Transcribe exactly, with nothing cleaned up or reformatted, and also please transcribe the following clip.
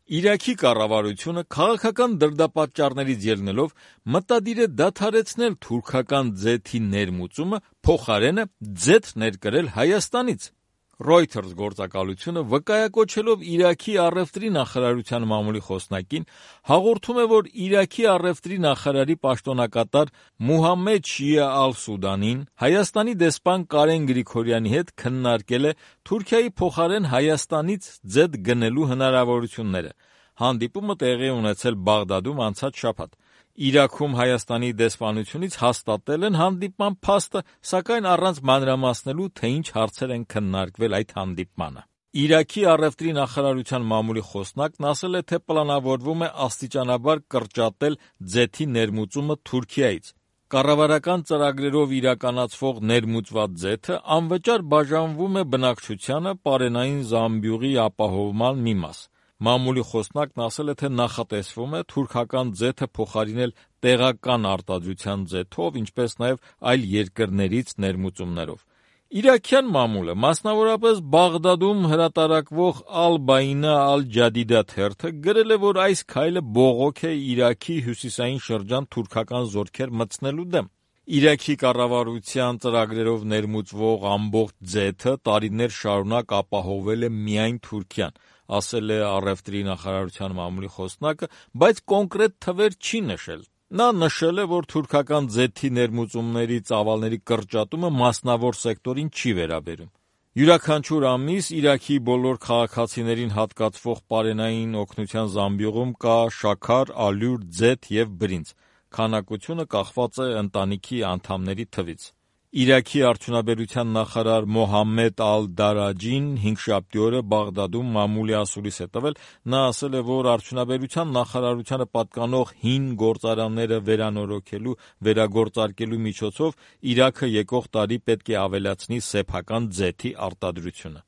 Իրաքի կառավարությունը քաղաքական դրդապատճառներից ելնելով մտադիր է դադարեցնել թուրքական ձեթի ներմուծումը, փոխարենը ձեթ ներկրել Հայաստանից։ Reuters գործակալությունը վկայակոչելով Իրաքի առևտրի նախարարության մամուլի խոսնակին հաղորդում է, որ Իրաքի առևտրի նախարարի պաշտոնակատար Մուհամմեդ Շիա Ալ-Սուդանին Հայաստանի դեսպան Կարեն Գրիգորյանի հետ քննարկել է Թուրքիայի փոխարեն Հայաստանից ձեթ գնելու հնարավորությունները։ Հանդիպումը տեղի է ունեցել Բաղդադում անցած շաբաթ։ Իրաքում Հայաստանի դեսպանությունից հաստատել են հանդիպման փաստը, սակայն առանց մանրամասնելու, թե ինչ հարցեր են քննարկվել այդ հանդիպմանը։ Իրաքի առևտրի նախարարության մամուլի խոսնակն ասել է, թե պլանավորվում է աստիճանաբար կրճատել ձեթի ներմուծումը Թուրքիայից։ Կառավարական ծրագրերով իրականացվող ներմուծված ձեթը անվճար բաժանվում է բնակչությանը պարենային զամբյուղի ապահովման մի մաս։ Մամուլի խոսնակն ասել է, թե նախատեսվում է թուրքական ձեթը փոխարինել տեղական արտադրության ձեթով, ինչպես նաև այլ երկրներից ներմուծումներով։ Իրաքյան մամուլը, մասնավորապես Բաղդադում հրատարակվող Ալ-Բայնա Ալ-Ջադիդա թերթը գրել է, որ այս քայլը բողոք է Իրաքի հյուսիսային շրջան թուրքական զորքեր մտցնելու դեմ։ Իրաքի կառավարության ծրագրերով ներմուծվող ամբողջ ձեթը տարիներ շարունակ ապահովել է միայն Թուրքիան, ասել է առևտրի նախարարության մամուլի խոսնակը, բայց կոնկրետ թվեր չի նշել։ Նա նշել է, որ թուրքական ձեթի ներմուծումների ծավալների կրճատումը մասնավոր սեկտորին չի վերաբերում։ Յուրաքանչյուր ամիս Իրաքի բոլոր քաղաքացիներին հատկացվող պարենային օգնության զամբյուղում կա շաքար, ալյուր, ձեթ և բրինձ։ Քանակությունը կախված է ընտանիքի անդամների թվից։ Իրաքի արդյունաբերության նախարար Մոհամմեդ Ալ-Դարաջին հինգշաբթի օրը Բաղդադում մամուլի ասուլիս է տվել։ Նա ասել է, որ արդյունաբերության նախարարությանը պատկանող հին գործարանները վերանորոգելու, վերագործարկելու միջոցով Իրաքը եկող տարի պետք է ավելացնի սեփական ձեթի արտադրությունը։